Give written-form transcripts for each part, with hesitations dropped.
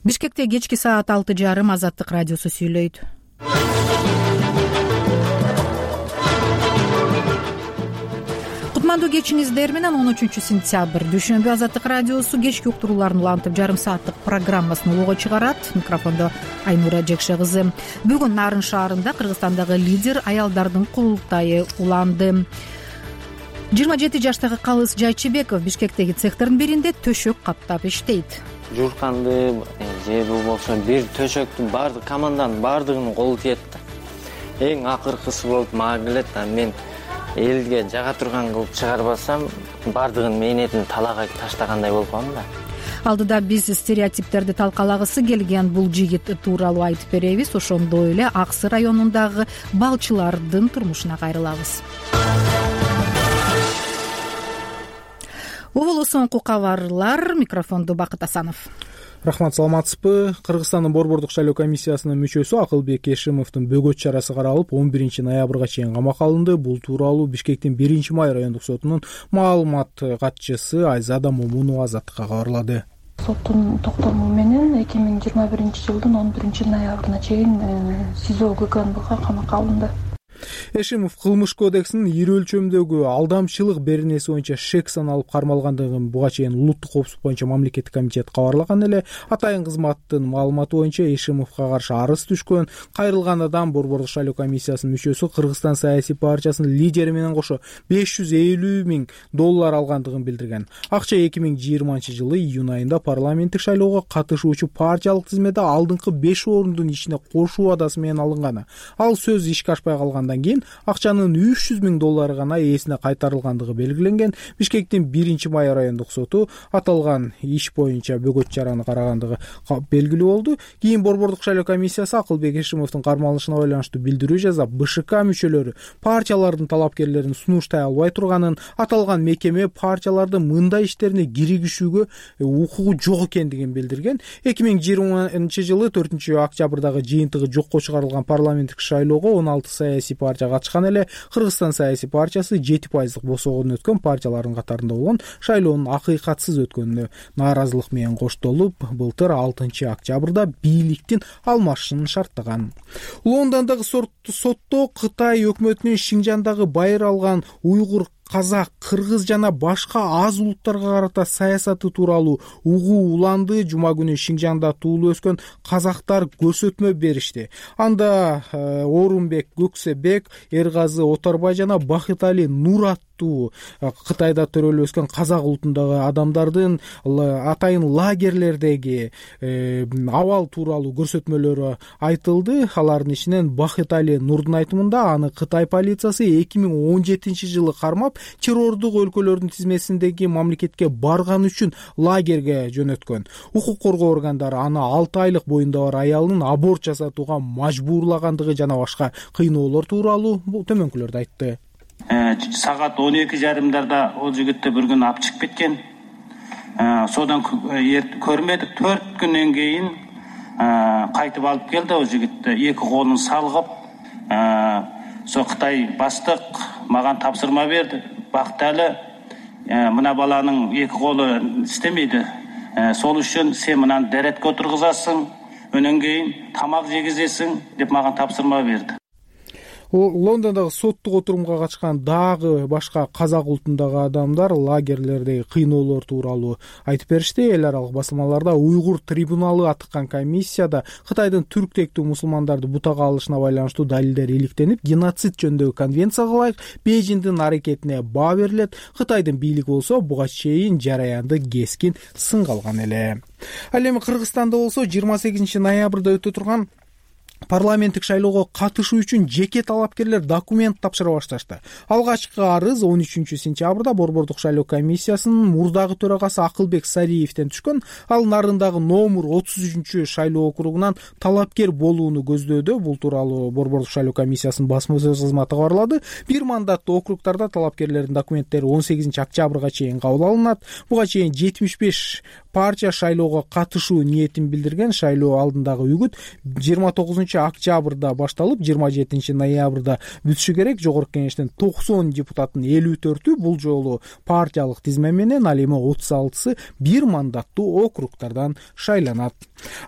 Бишкекте кечки саат 6:30 Азаттык радиосу сүйлөйт. Кутмандуу кечиңиздер менен 13 сентябрь дүйшөмбү Азаттык радиосу кечки уктурууларын улантып жарым сааттык программасын улууга чыгарат. Микрофондо Айнура Жекше кызы. Бүгүн Нарын шаарында Кыргызстандагы лидер аялдардын курултайы уланды. 27 жаштагы Калыс Жайчыбеков Бишкектеги цехтердин биринде төшөк каптап иштейт. Журканды же болбосо бир төшөктүн баардык команданын баардыгынын колу тиет да. Эң акыркысы болуп мага келет да, мен элге жага турган кылып чыгарбасам баардыгынын мээнетин талаага таштагандай болуп калам да. Алдыда биз стереотиптерди талкалагысы келген бул жигит тууралуу айтып беребиз. Ошондой эле Аксы районундагы балчылардын турмушуна кайрылабыз. Угулуу соңку кабарлар. Микрофондо Бакыт Асанов. Рахмат, саламатсызбы? Кыргызстандын борбордук шайлоо комиссиясынын мүчөсү Акылбек Эшимовдун бөгөт чарасы каралып 11 ноябрга чейин камакка алынды. Бул тууралуу Бишкектин 1 май райондук сотунун маалымат катчысы Айзада Момунова Азаттыкка кабарлады. Соттун токтому менен 2021-жылдын 11 ноябрына чейин СИЗО ГКНБга камакка алынды. Эшимов кылмыш кодексинин ири өлчөмдөгү алдамчылык беренеси боюнча шек саналып кармалгандыгын буга чейин улуттук коопсуздук боюнча мамлекеттик комитет кабарлаган эле. Атайын кызматтын маалыматы боюнча Эшимовго каршы арыз түшкөн. Кайрылган адам борбордук шайлоо комиссиясынын мүчөсү Кыргызстан саясий партиясынын лидери менен кошо $550,000 алгандыгын билдирген. Акча 2020-жылы июнь айында парламенттик шайлоого катышуучу партиялык тизмеде алдыңкы 5 орундун ичине кошуу адасы менен алынганы. Ал сөз ишке ашпай калгандан кийин акчанын $300,000 гана ээсине кайтарылгандыгы белгиленген. Бишкектин 1 май райондук соту аталган иш боюнча бөгөт чараны карагандыгы белгилүү болду. Кийин борбордук шайлоо комиссиясы Акылбек Эшимовдун кармалышына байланыштуу билдирүү жазап, БШК мүчөлөрү партиялардын талапкерлерин сунуштай албай турганын, аталган мекеме партиялардын мындай иштерине киригишүүгө укугу жок экендигин билдирген. 2020-жылы 4 октябрдагы жыйынтыгы жокко чыгарылган парламенттик шайлоого 16 саясий партия катышкан эле. Кыргызстан саясий партиясы 7% босогон өткөн партиялардын катарында болгон. Шайлоонун акыйкатсыз өткөнүнө нааразылык менен коштолуп, былтыр 6 октябрда бийликтин алмашышын шарттаган. Лондондогу сотто Кытай өкмөтүнүн Шинжандагы байыр алган уйгур, казак, кыргыз жана башка аз улуттарга карата саясаты тууралуу угуу уланды. Жума күнү Шинжанда туулуп өскөн казактар көрсөтмө беришти. Анда Орунбек Көксебек, Эргазы Отарбай жана Бахытали Нур Кытайда төрөлүп өскөн казак улутундагы адамдардын атайын лагерлердеги абал тууралуу көрсөтмөлөрү айтылды. Алардын ичинен Бахытали Нурдун айтымында аны Кытай полициясы 2017-жылы кармап, террордук өлкөлөрдүн тизмесиндеги мамлекетке барган үчүн лагерге жөнөткөн. Укук коргоо органдары аны 6 айлык боюнда бар аялын аборт жасатууга мажбурлагандыгы жана башка кыйноолор тууралуу төмөнкүлөрдү айтты. Сагат 12:30 ол жигитти бир күн алып чыгып кеткен. Содан көрмөдүк. 4 күндөн кийин кайтып алып келди ол жигитти. 2 колун салгып, со Кытай баштык мага тапсырма берди. Бакталы, мына баланын 2 колу иштемейди. Сол үчүн сен мынаны деретке отургузасың, өнөн кийин тамак жегизесиң деп мага тапсырма берди. Лондондогу соттук отурумга катышкан дагы башка казак улутундагы адамдар лагерлердеги кыйноолор тууралуу айтып беришти. Эл аралык басылмаларда уйгур трибуналы атыккан комиссияда Кытайдын түрк тектүү мусулмандарды бутага алышына байланыштуу далилдер иликтенип, геноцид жөнүндөгү конвенцияга ылайык Бейжиңдин аракетине баа берилет. Кытайдын бийлиги болсо буга чейин жараянды кескин сынга алган эле. Ал эми Кыргызстанда болсо 28 ноябрда өтө турган парламенттик шайлоого катышуу үчүн жеке талапкерлер документ тапшыра башташты. Алгачкы арыз 13 сентябрда борбордук шайлоо комиссиясынын мурдагы төрагасы Акылбек Сариевден түшкөн. Ал Нарындагы номер 33 шайлоо округунан талапкер болууну көздөөдө. Бул тууралуу борбордук шайлоо комиссиясынын басма сөз кызматы кабарлады. Бир мандаттуу округдарда талапкерлердин документтери 18 октябрга чейин кабыл алынат. Буга чейин 75 партия шайлоого катышуу ниетин билдирген. Шайлоо алдындагы үгүт 29 октябрда башталып 27 ноябрда бүтүшү керек. Жогорку кеңештин 90 депутаттын 54-ü бул жолу партиялык тизме менен, ал эми 36-сы бир мандаттуу округдардан шайланат.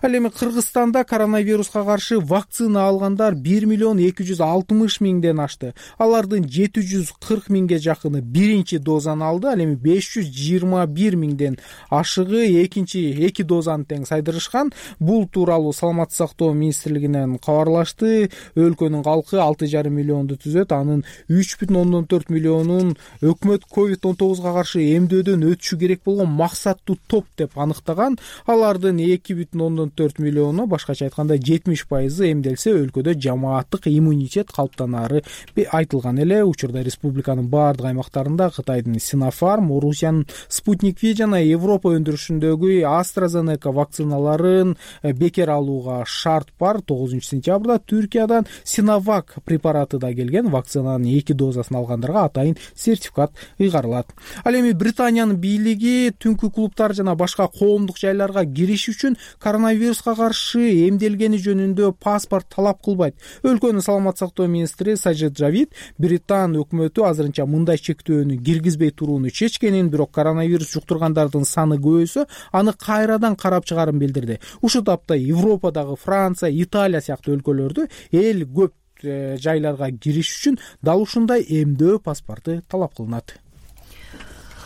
Ал эми Кыргызстанда коронавируска каршы вакцина алгандар 1 миллион 260 миңден ашты. Алардын 740 миңге жакыны биринчи дозаны алды. Ал эми 521 миңден ашыгы эки дозаны тең сайдырышкан. Бул тууралуу Саламаттык сактоо министрлигинен кабарлашты. Өлкөнүн калкы 6,5 миллионду түзөт. Анын 3,4 миллионун өкмөт COVID-19 каршы эмдөөдөн өтүшү керек болгон максаттуу топ деп аныктаган. Алардын 2,4 миллиону, башкача айтканда 70% эмделсе, өлкөдө жамааттык иммунитет калыптанары айтылган эле. Учурда республиканын баардык аймактарында Кытайдын Sinopharm, Орусиянын Sputnik V жана Европа өндүрүшүндөгү AstraZeneca вакциналарын бекер алууга шарт бар. 9 сентябрда Түркиядан Sinovac препараты да келген. Вакцинанын 2 дозасын алгандарга атайын сертификат ыйгарылат. Ал эми Британиянын бийлиги түнкү клубтар жана башка коомдук жайларга кириш үчүн коронавируска каршы эмделгени жөнүндө паспорт талап кылбайт. Өлкөнүн саламаттык сактоо министри Сажид Жавид Британ өкмөтү азырынча мындай чектөөнү киргизбей турууну чечкенин, бирок коронавирус жуктургандардын саны көбөйсө, аны кайрадан карап чыгарын билдирди. Ушул тапта Европадагы Франция, Италия сыяктуу өлкөлөрдө эл көп жайларга кириш үчүн дал ушундай эмдөө паспорту талап кылынат.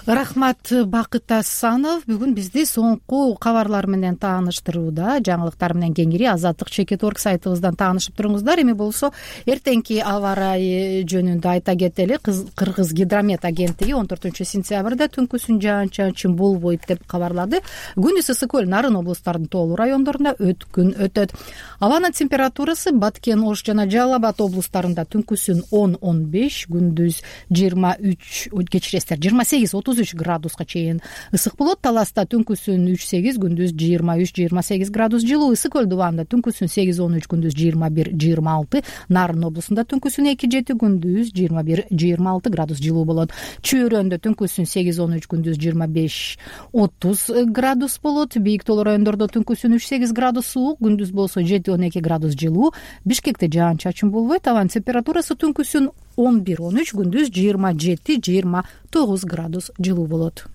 Рахмат, Бакыт Асанов бүгүн бизди соңку кабарлар менен тааныштырууда. Жаңылыктар менен кеңири Азаттык Чекит.орг сайтыбыздан таанышып туруңуздар. Эми болсо эртеңки аба ырайы жөнүндө айта кетели. Кыргыз гидромет агенттиги 14 сентябрда түнкүсүн жаан-чачын болбойт деп кабарлады. Күндүз Ысык-Көл, Нарын облустарынын тоолуу райондорунда өткүн өтөт. Абанын температурасы Баткен, Ош жана Жалал Абад облустарында түнкүсүн 10-15, күндүз 28-30 градуска чейин ысык болот. Таласта түнкүсүн 3-8, күндүз 23-28 градус жылуу. Ысык-Көл дубанда түнкүсүн 8-13, күндүз 21-26. Нарын облусунда түнкүсүн 2-7, күндүз 21-26 градус жылуу болот. Чөйрөндө түнкүсүн 8-13, күндүз 25-30 градус болот. Бийик тоолуу райондордо түнкүсүн 3-8 градус суук, күндүз болсо 7-12 градус жылуу. Бишкекте жаан-чачын болбойт. Абанын температурасы түнкүсүн 11-13, күндүз 27-29 градус жылуу болот.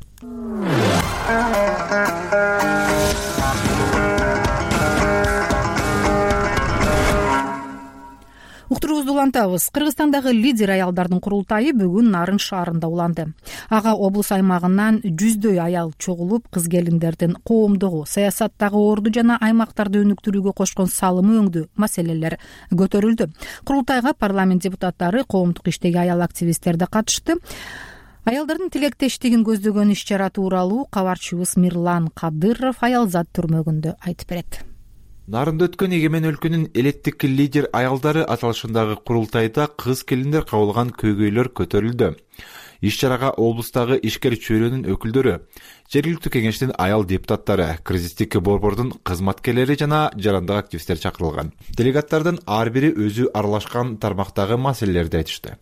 Уктуруубузду улантабыз. Кыргызстандагы лидер аялдардын курултайы бүгүн Нарын шаарында уланды. Ага облус аймагынан жүздөй аял чогулуп, кыз келиндердин коомдогу, саясаттагы орду жана аймактарды өнүктүрүүгө кошкон салымы өңдүү маселелер көтөрүлдү. Курултайга парламент депутаттары, коомдук иштеги аял активисттер да катышты. Аялдардын тилектештигин көздөгөн иш-чара тууралуу кабарчыбыз Мирлан Кадыров Аялзат түрмөгүндө айтып берет. Нарында өткөн Эгемен өлкөнүн элеттик лидер аялдары аталышындагы курултайда кыз келиндер кабылган көйгөйлөр көтөрүлдү. Иш-чарага облустагы ишкер чөйрөнүн өкүлдөрү, жергиликтүү кеңештин аял депутаттары, кризистик борбордун кызматкерлери жана жарандык активисттер чакырылган. Делегаттардын ар бири өзү аралашкан тармактагы маселелерди айтышты.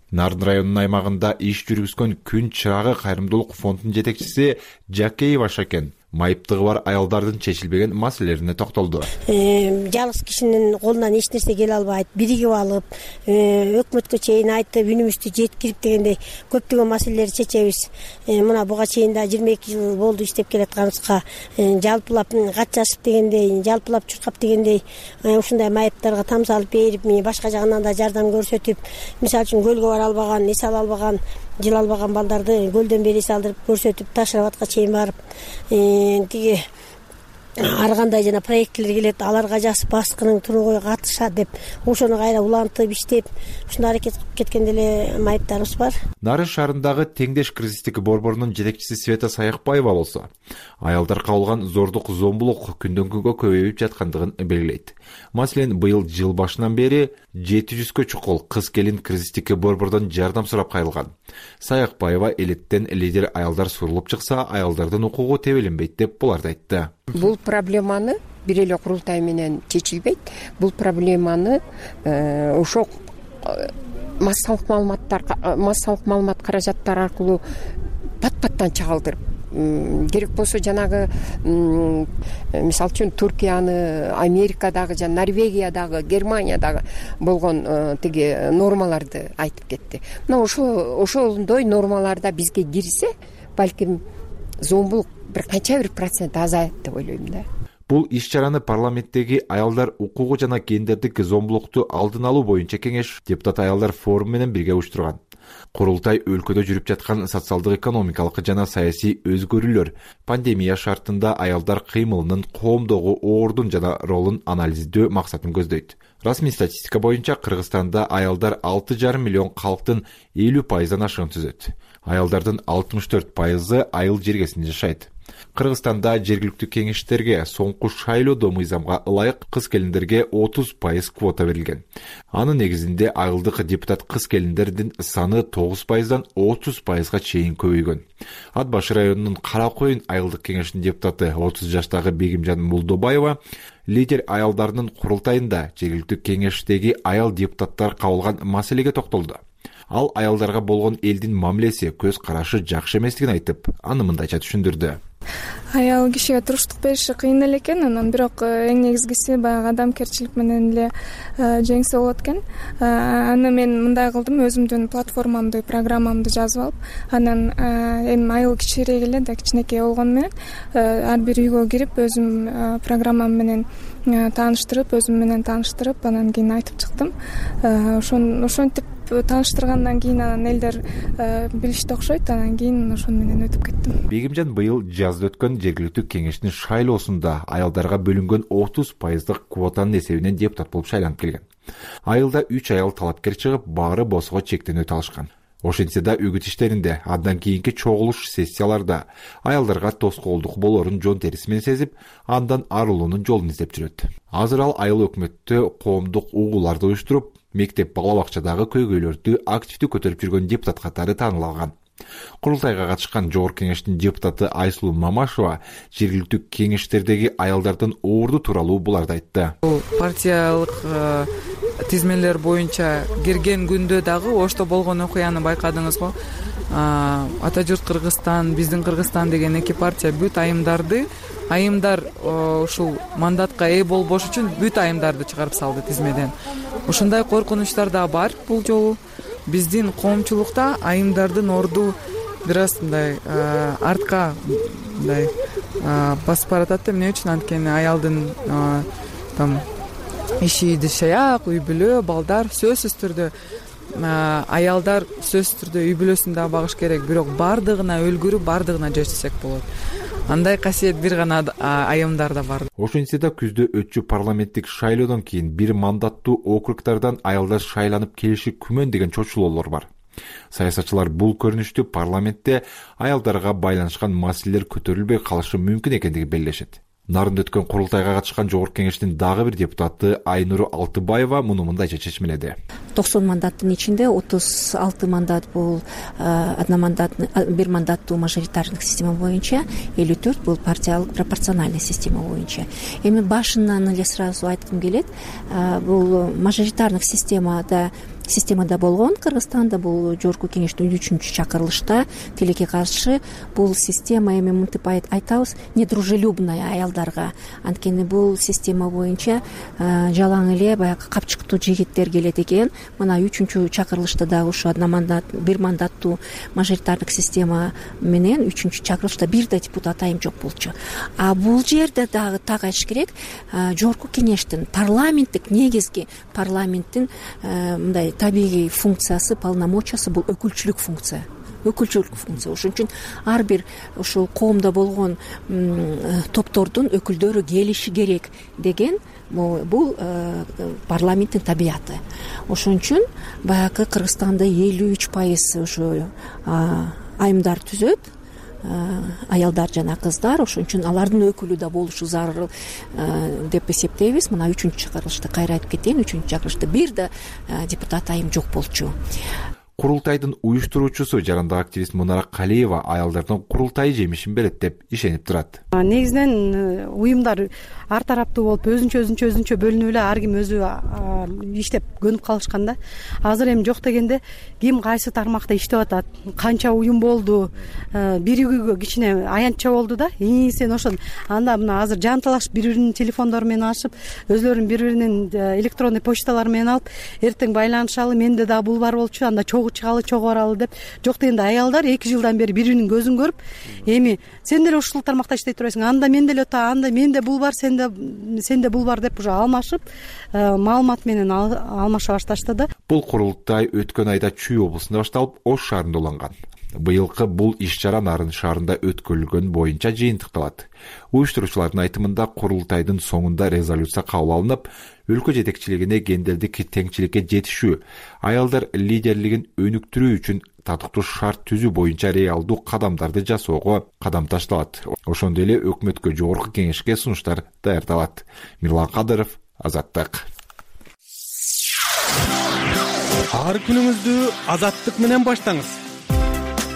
Нарын районунун аймагында иш жүргүзгөн Күн чырагы кайрымдуулук фондунун жетекчиси Жакеева Шакен майыптыгы бар аялдардын чечилбеген маселелерине токтолду. Жалгыз кишинин колунан эч нерсе келе албайт, биригип алып, өкмөткө чейин айтып, үнүмүздү жеткирип дегендей көптөгөн маселелерди чечебиз. Мына буга чейин да 22 жыл болду иштеп келатканыбызга, жалпылап кат жазып дегендей, жалпылап чуркап дегендей, ушундай майыптарга там салып берип, башка жагынан да жардам көрсөтүп, мисалы үчүн көлгө бара албаган, эс ала албаган, жыл албаган балдарды көлдөн бери салдырып көрсөтүп, Таш-Рабатка чейин барып, тиги ар кандай жана проекттер келет, аларга жазып баскының тургой катыша деп ошону кайра улантып иштеп, ушундай аракет кылып кеткен деле майыптарыбыз бар. Нарын шаарындагы Теңдеш кризистик борборунун жетекчиси Света Саякбаева болсо, аялдар кабылган зордук, зомбулук күндөн күнгө көбөйүп жаткандыгын белгилейт. Маселен, быйыл жыл башынан бери 700кө чукул кыз келин кризистик борбордон жардам сурап кайрылган. Саякбаева элеттен лидер аялдар сурулуп чыкса, аялдардын укугу тебеленбейт деп буларды айтты. Бул проблеманы бир эле курултай менен чечилбейт. Бул проблеманы ошо массалык маалымат каражаттары аркылуу пат-паттан чагылдырып, керек болсо жанагы мисалы үчүн Туркияны, Америкадагы жана Норвегиядагы, Германиядагы болгон тиги нормаларды айтып кетти. Мына ошондой нормаларда бизге кирсе, балким зомбулук канча бир процент азаят деп ойлойм да. Бул иш-чараны парламенттеги аялдар укугу жана гендердик зомбулукту алдын алуу боюнча кеңеш депутат аялдар форуму менен бирге уюштурган. Курултай өлкөдө жүрүп жаткан социалдык экономикалык жана саясий өзгөрүүлөр, пандемия шартында аялдар кыймылынын коомдогу ордун жана ролун анализдөө максатын көздөйт. Расмий статистика боюнча Кыргызстанда аялдар 6,5 миллион калктын 50% ашыгын түзөт. Аялдардын 64% айыл жергесинде жашайт. Кыргызстанда жергиликтүү кеңештерге соңку шайлоодо мыйзамга ылайык кыз келиндерге 30% квота берилген. Анын негизинде айылдык депутат кыз келиндердин саны 9%дан 30%га чейин көбөйгөн. Ат башы районунун Кара Коюн айылдык кеңешинин депутаты 30 жаштагы Бегимжан Мулдобаева лидер аялдарынын курултайында жергиликтүү кеңештеги аял депутаттар кабыл алган маселеге токтолду. Ал аялдарга болгон элдин мамилеси, көз карашы жакшы эместигин айтып, аны мындайча түшүндүрдү. Аял кишиге туруштук бериши кыйын эле экен, анан бирок эң негизгиси баягы адамгерчилик менен эле жеңсе болот экен. Аны мен мындай кылдым, өзүмдүн платформамды, программамды жазып алып, анан эми айыл кичирээк эле да, кичинекей болгону менен ар бир үйгө кирип, өзүм программам менен тааныштырып, өзүм менен тааныштырып, анан кийин айтып чыктым. Ошентип тааныштыргандан кийин анан элдер билишти окшойт, анан кийин ошону менен өтүп кеттим. Бегимжан быйыл жазда өткөн жергиликтүү кеңештин шайлоосунда аялдарга бөлүнгөн 30% квотанын эсебинен депутат болуп шайланып келген. Айылда 3 аял талапкер чыгып, баары босого чектенүү алышкан. Ошентсе да үгүт иштеринде, андан кийинки чогулуш сессияларда аялдарга тоскоолдук болорун жон териси менен сезип, андан арылуунун жолун издеп жүрөт. Азыр ал айыл өкмөттө коомдук угууларды уюштуруп, мектеп бала бакчадагы көйгөйлөрдү активдүү көтөрүп жүргөн депутат катары таанылган. Курултайга катышкан жогорку кеңештин депутаты Айсулуу Мамашева жергиликтүү кеңештердеги аялдардын орду тууралуу буларды айтты. Партиялык тизмелер боюнча кирген күндө дагы ошто болгон окуяны байкадыңыз го. Ата журт Кыргызстан, биздин Кыргызстан деген эки партия бүт айымдар ушул мандатка ээ болбош үчүн бүт айымдарды чыгарып салды тизмеден. Ушундай коркунучтар да бар бул жолу. Биздин коомчулукта айымдардын орду бир аз мындай артка мындай басып баратат. Эмне үчүн? Анткени аялдын там иши дышаяк, үй бүлө, балдар сөзсүз түрдө аялдар сөзсүз түрдө үй бүлөсүн да багыш керек, бирок бардыгына өлгүрүп, бардыгына жашасак болот. Андай касиет бир гана айымдарда бар. Ошентсе да күздө өтчү парламенттик шайлоодон кийин бир мандаттуу округдардан аялдар шайланып келиши күмөн деген чочулоолор бар. Саясатчылар бул көрүнүштү парламентте аялдарга байланышкан маселелер көтөрүлбөй калышы мүмкүн экендигин белгилешет. Нарында өткөн курултайга катышкан жогорку кеңештин дагы бир депутаты Айнур Алтыбаева муну мындайча чечмеледи. 90 мандаттын ичинде 36 мандат бул бир мандаттуу мажоритарный система боюнча, 54 бул партиялык пропорциональный система боюнча. Эми башынан эле сразу айткым келет, бул мажоритарный системада болгон Кыргызстанда бул жогорку кеңештин 3-чү чакырылышта тилекке каршы бул система эми мынтип айтабыз, недружелюбная аялдарга. Анткени бул система боюнча жалаң эле баягы капчыктуу жигиттер келет экен. Мына 3-чү чакырылышта дагы ушу бир мандаттуу мажоритардык система менен 3-чү чакырылышта бир да депутат айым жок болчу. А бул жерде дагы так айтыш керек, жогорку кеңештин парламенттик негизги парламенттин мындай табигый функциясы, полномочиясы бул өкүлчүлүк функция. Ошон үчүн ар бир ушул коомдо болгон топтордун өкүлдөрү келиши керек деген бул парламенттин табияты. Ошон үчүн баягы Кыргызстанда 53% ушу айымдар түзөт, аялдар жана кыздар. Ошон үчүн алардын өкүлү да болушу зарыл деп эсептейбиз. Мына 3-чү чакырылышта кайра айтып кетейин, 3-чү чакырылышта бир да депутат айым жок болчу. Курултайдын уюштуруучусу жарандык активист Мунара Калиева аялдардын курултайы жемишин берет деп ишенип турат. Негизинен уюмдар ар тараптуу болуп өзүнчө бөлүнүп эле ар ким өзү иштеп көнүп калышкан да. Азыр эми жок дегенде ким кайсы тармакта иштеп атат, канча уюм болду, биригүүгө кичине аянтча болду да. Сен ошол анда мына азыр жанталашып бири-биринин телефондору менен ашып, өзлөрүнүн бири-биринин электронный почталары менен алып, эртең байланышалы, менде дагы бул бар болчу, анда чогуу чыгалы, чогуу баралы деп. Жок дегенде аялдар 2 жылдан бери бири-биринин көзүн көрүп, эми сен деле ушул тармакта иштей турасың, анда мен деле анда менде бул бар, сенде бул бар деп уже алмашып, маалымат менен алмаша башташты да. Бул курултай өткөн айда Чүй облусунда башталып, Ош шаарында уланган. Быйылкы бул иш-чара Нарын шаарында өткөрүлгөн боюнча жыйынтыкталат. Уюштуруучулардын айтымында курултайдын соңунда резолюция кабыл алынып, өлкө жетекчилигине гендердик теңчиликке жетишүү, аялдар лидерлигин өнүктүрүү үчүн татыктуу шарт түзүү боюнча реалдуу кадамдарды жасоого кадам ташталат. Ошондой эле өкмөткө, жогорку кеңешке сунуштар даярдалат. Мирлан Кадыров, Азаттык. Ар күнүңүздү Азаттык менен баштаңыз.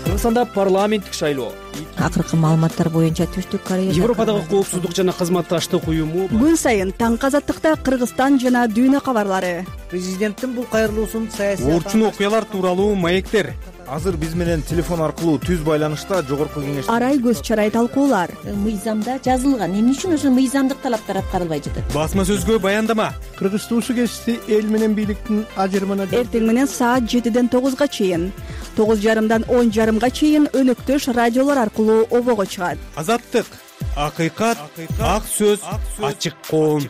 Кыргызстанда парламенттик шайлоо. Акыркы маалыматтар боюнча Түштүк Корея, Европадагы коопсуздук жана кызматташтык уюму. Күн сайын таңкы Азаттыкта Кыргызстан жана дүйнө кабарлары. Президенттин бул кайрылуусун саясий Орчун окуялар тууралуу маектер. Азыр биз менен телефон аркылуу түз байланышта жогорку кеңеш. Арай көз чарай талкуулар. Мыйзамда жазылган. Эмне үчүн ошо мыйзамдык талаптар аткарылбай жатат? Басма сөзгө баяндама. Кыргыз туусу кести эл менен бийликтин ажырымына. Эртең менен саат 7ден 9га чейин, 9:30дан 10:30га чейин өнөктөш радиолор аркылуу обого чыгат. Азаттык, акыйкат, ак сөз, ачык коом.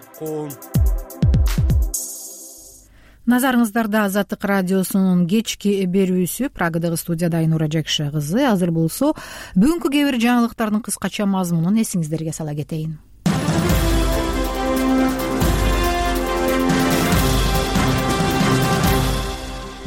Назарыңыздарда Азаттык радиосунун кечки берүүсү. Прагадагы студияда Айнура Жекше кызы. Азыр болсо бүгүнкү кээ бир жаңылыктардын кыскача мазмунун эсиңиздерге сала кетейин.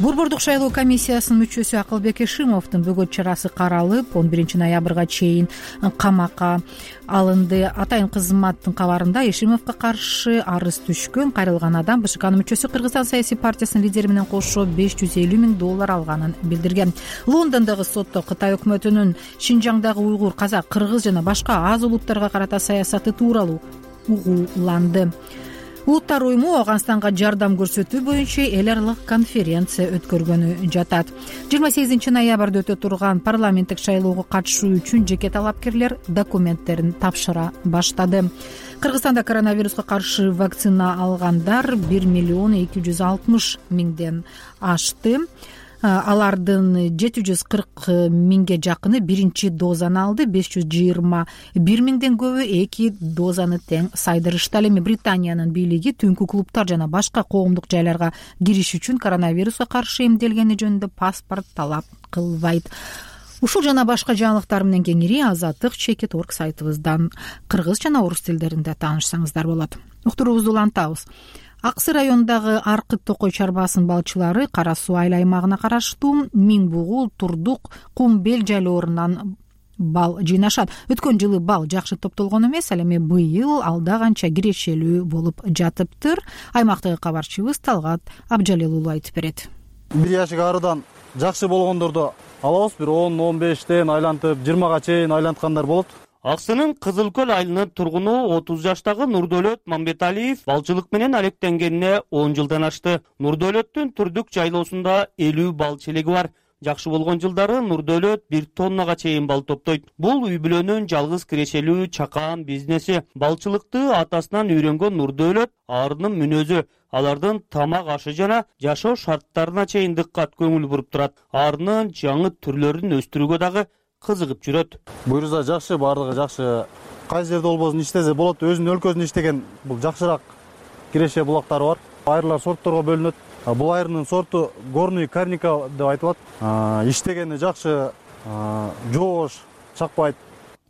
Борбордук шайлоо комиссиясынын мүчөсү Акылбек Эшимовдун бөгөт чарасы каралып, 11 ноябрга чейин камакка алынды. Атайын кызматтын кабарында Эшимовго каршы арыз түшкөн кайрылган адам БШКнын мүчөсү Кыргызстан саясий партиясынын лидери менен кошо $550 000 алганын билдирген. Лондондогу сотто Кытай өкмөтүнүн Шинжаңдагы уйгур, казак, кыргыз жана башка аз улуттарга карата саясаты тууралуу угууланды. Улуттар уюму Афганстанга жардам көрсөтүү боюнча эл аралык конференция өткөргөнү жатат. 28 ноябрда өтө турган парламенттик шайлоого катышуу үчүн жеке талапкерлер документтерин тапшыра баштады. Кыргызстанда коронавируска каршы вакцина алгандар 1,260 000 ашты. Алардын 740 000ге жакыны биринчи дозаны алды, 521 000ден көбү 2 дозаны тең сайдырышты. Ал эми Британиянын бийлиги түнкү клубтар жана башка коомдук жайларга кириш үчүн коронавируска каршы эмделгени жөнүндө паспорт талап кылбайт. Ушул жана башка жаңылыктар менен кеңири Азаттык.org сайтыбыздан кыргыз жана орус тилдеринде таанышсаңыздар болот. Уктуруубузду улантабыз. Аксы районундагы Аркыт Токой чарбасынын балчылары Кара суу айыл аймагына караштуу Миң бугул, Турдук, Кумбел жайлоорунан бал жыйнашат. Өткөн жылы бал жакшы топтолгон эмес, ал эми быйыл алда канча кирешелүү болуп жатыптыр. Аймактагы кабарчыбыз Талгат Абжалел уулу айтып берет. Бир жашык арыдан жакшы болгондорду алабыз, бир 10-15тен айлантып 20га чейин айланткандар болот. Аксынын Кызыл Көл айылынын тургуну 30 жаштагы Нурдөлөт Мамбеталиев балчылык менен алектенгенине 10 жылдан ашты. Нурдөлөттүн Турдук жайлоосунда 50 бал челеги бар. Жакшы болгон жылдары Нурдөлөт 1 тоннага чейин бал топтойт. Бул үй бүлөнүн жалгыз кирешелүү чакан бизнеси. Балчылыкты атасынан үйрөнгөн Нурдөлөт арынын мүнөзү, алардын тамак ашы жана жашоо шарттарына чейин дыккат көңүл буруп турат. Арынын жаңы түрлөрүн өстүрүүгө дагы кызыгып жүрөт. Буюрса жакшы, бардыгы жакшы. Кайсы жерде болбосун иштесе болот. Өзүнүн өлкөсүндө иштеген бул жакшыраак киреше булактары бар. Айырлар сорттторго бөлүнөт. Бул айрынын сорту горный карника деп айтылат. Иштегени жакшы, жоош, чакпайт.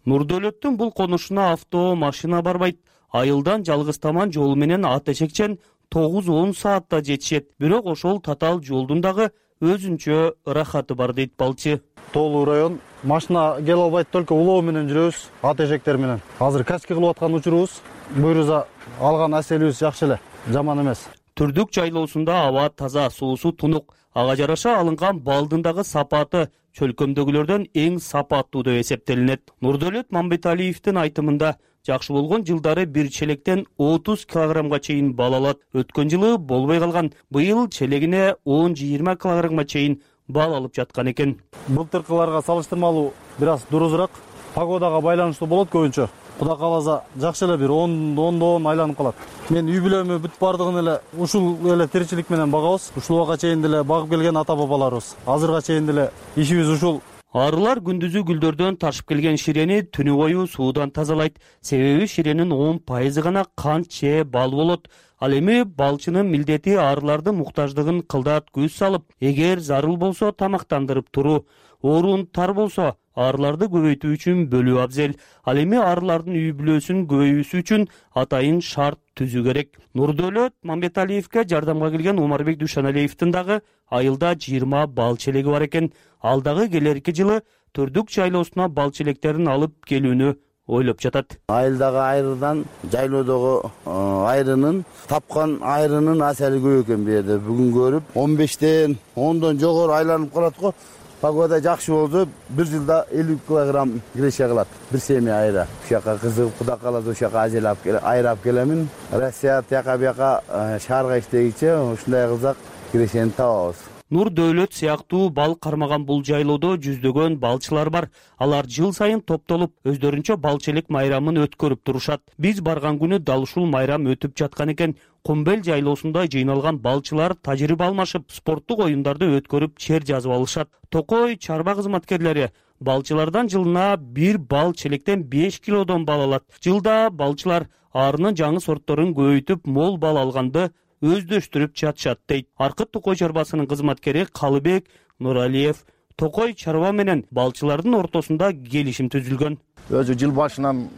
Нурдөлөттүн бул конушуна авто, машина барбайт. Айылдан жалгыз таман жолу менен ат эшекчен 9-10 саатта жетишет. Бирок ошол татаал жолдун дагы өзүнчө ырахаты бар дейт балчы. Тоолуу район, машина келе албайт, только улоо менен жүрөбүз, ат эшектер менен. Азыр качки кылып аткан учурубуз, буюрса алган аселибиз жакшы эле, жаман эмес. Түрдүк жайлоосунда аба таза, суусу тунук. Ага жараша алынган балдын дагы сапаты чөлкөмдөгүлөрдөн эң сапаттуу деп эсептелинет. Нурдөлөт Мамбеталиевдин айтымында жакшы болгон жылдары бир челектен 30 килограммга чейин бал алат. Өткөн жылы болбой калган. Быйыл челегине 10-20 килограммга чейин бал алып жаткан экен. Былтыркыларга салыштырмалуу бир аз дурузураак. Погодага байланыштуу болот көбүнчө. Кудай кааласа жакшы эле бир 10 айланып калат. Мен үй бүлөмү бүт бардыгын эле ушул эле тиричилик менен багабыз. Ушул убакка чейин деле багып келген ата бабаларыбыз. Азырга чейин деле ишибиз ушул. Арылар күндүзү гүлдөрдөн ташып келген ширени түнү бою суудан тазалайт. Себеби ширенин 10% гана кант же бал болот. Ал эми балчынын милдети арылардын муктаждыгын кылдат көз салып, эгер зарыл болсо тамактандырып туруу, орун тар болсо арыларды көбөйтүү үчүн бөлүү абзел. Ал эми арылардын үй бүлөсүнүн көбөйүүсү үчүн атайын шарт түзүү керек. Нурдөлөт Мамбеталиевге жардамга келген Умарбек Душаналиевдин дагы айылда 20 бал челеги бар экен. Ал дагы келерки жылы Түрдүк жайлоосуна бал челектерин алып келүүнү ойлоп жатат. Айылдагы айрыдан жайлоодогу айрынын тапкан айрынын асали көп экен бу жерде. Бүгүн көрүп 15тен 10дон жогору айланып калат го. Погода жакшы болсо бир жылда 50 килограмм киреше кылат. Бир семья айра. Ушака кызыгып Кудай кааласа ушака ажелап айрап келемин. Россия тияка бияка шаарга иштегиче ушундай кылсак кирешени табабыз. Нурдөлөт сыяктуу бал кармаган бул жайлоодо жүздөгөн балчылар бар. Алар жыл сайын топтолуп, өздөрүнчө бал челек майрамын өткөрүп турушат. Биз барган күнү дал ушул майрам өтүп жаткан экен. Кумбел жайлоосунда жыйналган балчылар тажрыйба алмашып, спорттук оюндарды өткөрүп, чер жазып алышат. Токой чарба кызматкерлери балчылардан жылына бир бал челектен 5 килодон бал алат. Жылда балчылар арынын жаңы сортторун көбөйтүп, мол бал алганды өздөштүрүп жатышат дейт. Аркыт Токой чарбасынын кызматкери Калыбек Нуралиев Токой чарба менен балчылардын ортосунда келишим түзүлгөн. Өзү жыл башынан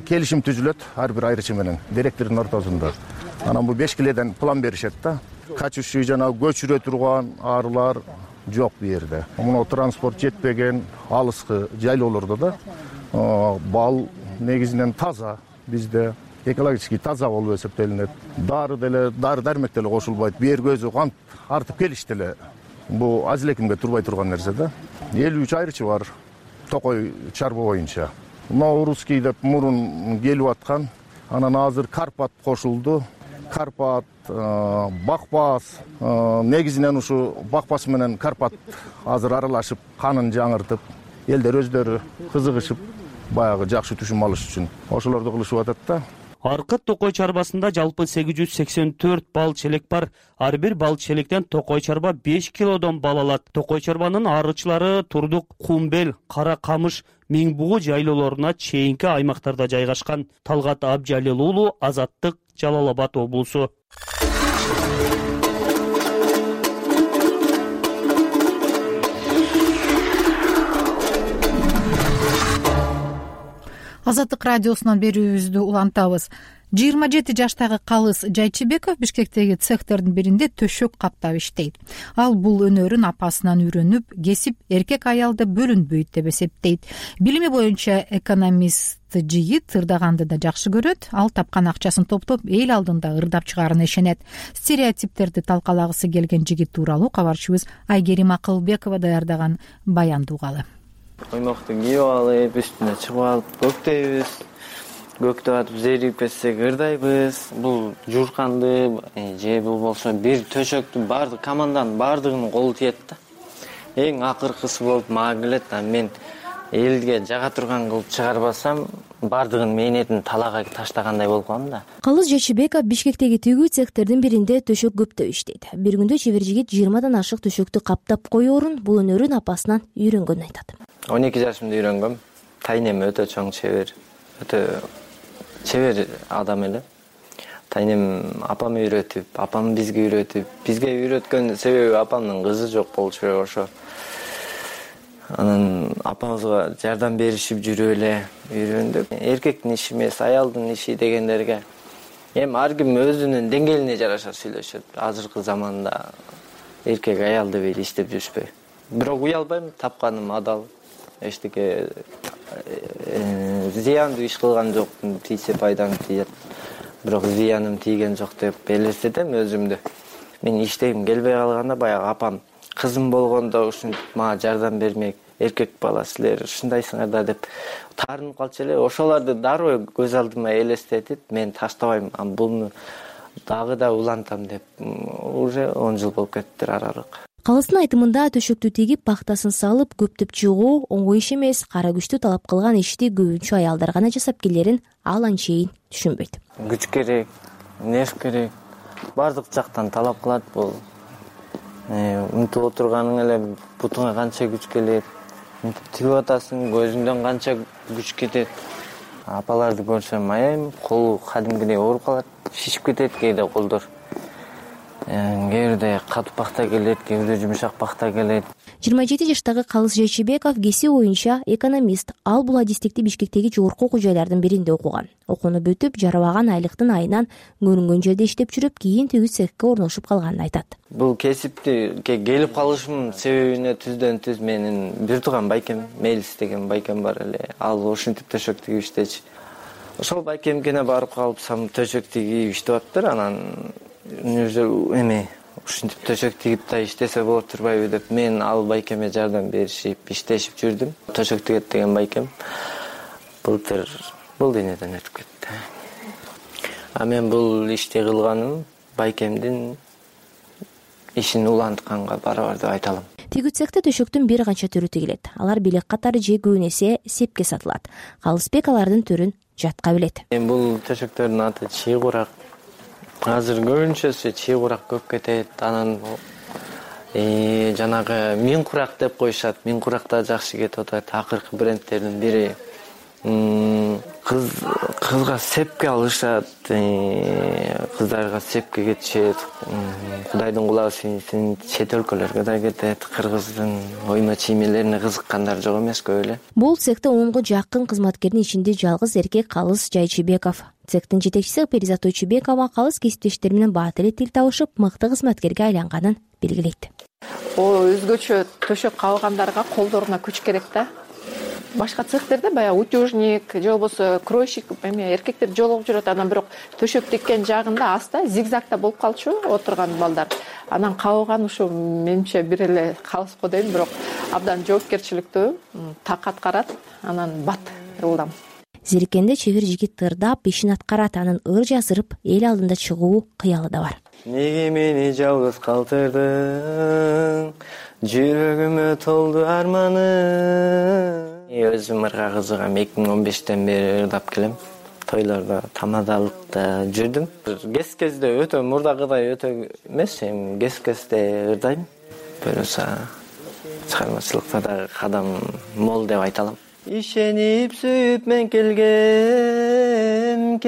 келишим түзүлөт ар бир айрычы менен директордун ортосунда. Анан бу 5 киледен план беришет да. Качуучу жана көчүрө турган арылар жок бу жерде. Муну транспорт жетпеген алыскы жайлоолордо да бал негизинен таза бизде экологически таза болуп эсептелинет. Дары дармек деле кошулбайт. Бер көзү кант артып келиш деле бу аз элекимге турбай турган нерсе да. 53 айрычы бар Токой чарба боюнча. Русский деп мурун келип аткан. Анан азыр Карпат кошулду. Карпат, Бакпас, негизинен ушу Бакпас менен Карпат азыр аралашып, канын жаңыртып, элдер өздөрү кызыгышып, баягы жакшы түшүм алыш үчүн ошолорду кылышып атат да. Аркыт Токой чарбасында жалпы 884 бал челек бар. Ар бир бал челектен Токой чарба 5 килодон бал алат. Токой чарбанын арычылары Турдук, Кумбел, Кара Камыш, Миңбугу жайлоолоруна чейинки аймактарда жайгашкан. Талгат Абжалил уулу, Азаттык, Жалал Абад облусу. Азаттык радиосунан берүүбүздү улантабыз. 27 жаштагы Калыс Жайчыбеков Бишкектеги цехтердин биринде төшөк каптап иштейт. Ал бул өнөрүн апасынан үйрөнүп, кесип эркек аялда бөлүнбөйт деп эсептейт. Билими боюнча экономист жигит ырдаганды да жакшы көрөт. Ал тапкан акчасын топтоп эл алдында ырдап чыгаарына ишенет. Стереотиптерди талкалагысы келген жигит тууралуу кабарчыбыз Айгерим Акылбекова даярдаган баянды угалы. Оймокту кийип алып, үстүнө чыгып алып көктөйбүз. Көктөп атып зерип кетсек ырдайбыз. Бул журканды же болбосо бир төшөктү баардык команданын баардыгынын колу тиет да. Эң акыркысы болуп мага келет. Мен элге жага турган кылып чыгарбасам, баардыгынын мээнетин талаага таштагандай болуп калам да. Калыс Жайчыбеков Бишкектеги тигүү цехтердин биринде төшөк көптөп иштейт. Бир күндө чебер жигит 20дан ашык төшөктү каптап коёрун бул өнөрүн апасынан үйрөнгөнүн айтат. 12 жашымда үйрөнгөм. Тайнем өтө чоң чебер. Өтө чебер адам эле. Тайнем апам үйрөтүп, апам бизге үйрөткөн себеби апамдын кызы жок болчу керек ошо. Анан апамызга жардам беришип жүрүп эле үйрөндүк. Эркектин иши эмес, аялдын иши дегендерге эми ар ким өзүнүн деңгээлине жараша сүйлөшөт. Азыркы заманда эркек аялды бери иштеп жүрүшпөй. Бирок уялбайм, тапканым адал. Эчтеке зыяндуу иш кылган жокмун, тийсе пайдам тиет. Бирок зыяным тийген жок деп элестетем өзүмдү. Мен иштегим келбей калганда баягы апам кызым болгондо ушинтип мага жардам бермек, эркек бала силер ушундайсыңар да деп таарынып калчу эле. Ошолорду дароо көз алдыма элестетип, мен таштабайм, буну дагы да улантам деп уже 10 жыл болуп кетиптир аралык. Калыстын айтымында төшөктү тегип пахтасын салып көптөп чыгуу оңой иш эмес, кара күчтү талап кылган ишти көбүнчө аялдар гана жасап келерин ал анчейин түшүнбөйт. Күч керек, нерв керек, бардык жактан талап кылат бул. Унтуп отурганың эле бутуңа канча күч келет, тигип атасың, көзүңдөн канча күч кетет. Апаларды көрсөм аябай колу кадимгидей ооруп калат, шишип кетет кээде колдор. Кээде катуу пахта келет, кээде жумшак пахта келет. 27 жаштагы Калыс Жайчыбеков кесип боюнча экономист. Ал бул адистикти Бишкектеги жогорку окуу жайлардын биринде окуган. Окууну бүтүп, жарабаган айлыктын айынан көрүнгөн жерде иштеп жүрүп, кийин төгүз цехке орношуп калганын айтат. Бул кесипти келип калышымдын себебине түздөн түз менин бир тууган байкем, Мелис деген байкем бар эле. Ал ушинтип төшөк тигип иштечү. Ошол байкемкене барып калыпсам төшөк тигип иштеп атыптыр. Анан ушинтип төшөк тигип да иштесе болот турбайбы деп мен ал байкеме жардам беришип, иштешип жүрдүм. Төшөк тигет деген байкем былтыр бул денеден өтүп кетти. Мен бул ишти кылганым байкемдин ишин улантканга барабар деп айта алам. Тигүү цехте төшөктүн бир канча түрү тигилет. Алар белек катары же көбүн эсе сепке сатылат. Калысбек алардын түрүн жатка билет. Бул төшөктөрдүн аты чий курак. Азыр көбүнчөсү чий курак көп кетет. Анан жанагы мин курак деп коюшат. Мин курак да жакшы кетип атат. Акыркы брендтердин бири. Кызга сепке алышат, кыздарга сепке кетишет. Кудайдын кулагы сүйүнсүн, чет өлкөлөргө да кетет. Кыргыздын ойма чиймелерине кызыккандар жок эмес көп эле. Бул цехте 10го жакын кызматкердин ичинде жалгыз эркек Калыс Жайчыбеков. Цехтин жетекчиси Перизат Тойчубекова Калыс кесиптештери менен бат эле тил табышып, мыкты кызматкерге айланганын белгилейт. Өзгөчө төшөк кабылгандарга колдоруна күч керек да. Башка цехтерде баягы утюжник же болбосо кройщик эркектер жолугуп жүрөт. Анан бирок төшөк тиккен жагында аста зигзагда болуп калчу отурган балдар. Анан кабылган ушу менимче бир эле Калыс го дейм, бирок абдан жоопкерчиликтүү, так аткарат, анан бат ылдам. Зериккенде чебер жигит тырдап ишин аткарат, анын ыр жазырып эл алдында чыгуу кыялы да бар. Неге мени жалгыз калтырдың, жүрөгүмө толду арманың. Өзүм ырга кызыгам, 2015-тен бери ырдап келем. Тойлордо, тамадалыкта жүрдүм. Кез-кезде өтө мурдагыдай өтө эмес, кез-кезде ырдайм. Бирөөсө чыгармачылыкта да кадам мол деп айта алам. Ишенип сүйүп мен келгем,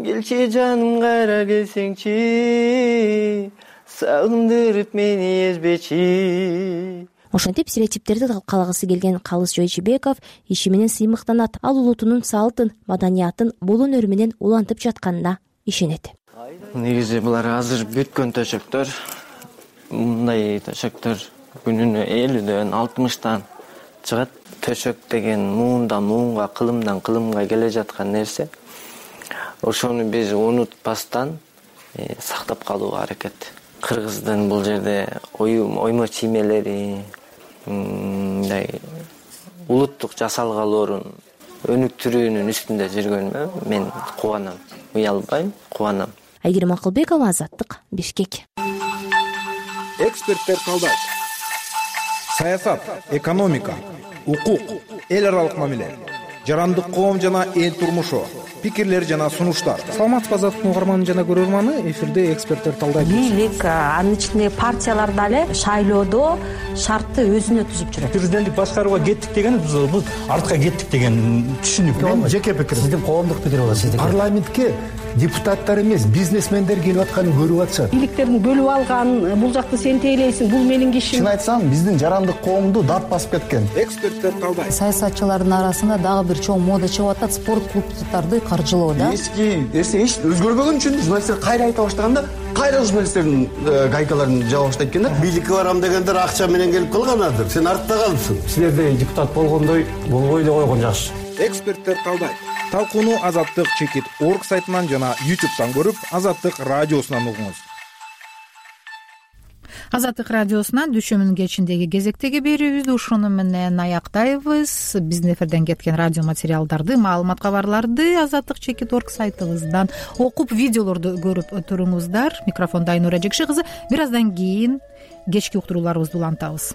келчи жаным кайра келсеңчи, сагындырып мени эзбечи. Ошентип стереотиптерди калагысы келген Калыс Жайчыбеков иши менен сыймыктанат. Ал улутунун салтын, маданиятын бул өнөрү менен улантып жатканына ишенет. Негизи булар азыр бүткөн төшөктөр. Мындай төшөктөр күнүнө 50дөн 60тан чыгат. Төшөк деген муундан муунга, кылымдан кылымга келе жаткан нерсе. Ошону биз унутпастан сактап калууга аракет. Кыргыздын бул жерде оймо чиймелери, улуттук жасалгалоорун өнүктүрүүнүн үстүндө жүргөнүмө мен кубанам, уялбайм, кубанам. Айгерим Акылбекова, Азаттык, Бишкек. Эксперттер талдайт. Саясат, экономика, укук, эл аралык мамиле, жарандык коом жана эл турмушу, пикирлер жана сунуштар. Саламатсызбы Азаттык угарманы жана көрөрманы, эфирде эксперттер талдайт. Бийлик, анын ичинде партиялар дагы шайлоодо шартты өзүнө түзүп жүрөт. Президенттик башкарууга кеттик деген биз артка кеттик деген түшүнүк. Мен жеке пикирим. Сиздин коомдук пикир болот, сиздики. Парламентке депутаттар эмес, бизнесмендер келип атканын көрүп атышат. Бийликтердин бөлүп алган, бул жакты сен тейлейсиң, бул менин кишим. Чын айтсам, биздин жарандык коомду дат басып кеткен. Эксперттер талдайт. Саясатчылардын арасында дагы бир чоң мода чыгып атат, спорт клубдарды каржылоо да. Эски эч өзгөрбөгөн үчүн журналисттер кайра айта баштаганда, кайра журналисттердин гайкаларын жаба баштайт экен да. Бийликке барам дегендер акча менен келип калганадыр. Сен артта калыпсың. Силерде депутат болгондой болбой эле койгон жакшы. Эксперттер талдайт. Талкууну Азаттык чекит орг сайтынан жана YouTube'дан көрүп, Азаттык радиосунан угуңуз. Азаттык радиосунан дүйшөмбүнүн кечиндеги кезектеги берүүбүздү ушуну менен аяктайбыз. Биздин эфирден кеткен радио материалдарды, маалымат кабарларды azattik.org сайтыбыздан окуп, видеолорду көрүп туруңуздар. Микрофондо Айнура Жекше кызы. Бир аздан кийин кечки уктурууларыбызды улантабыз.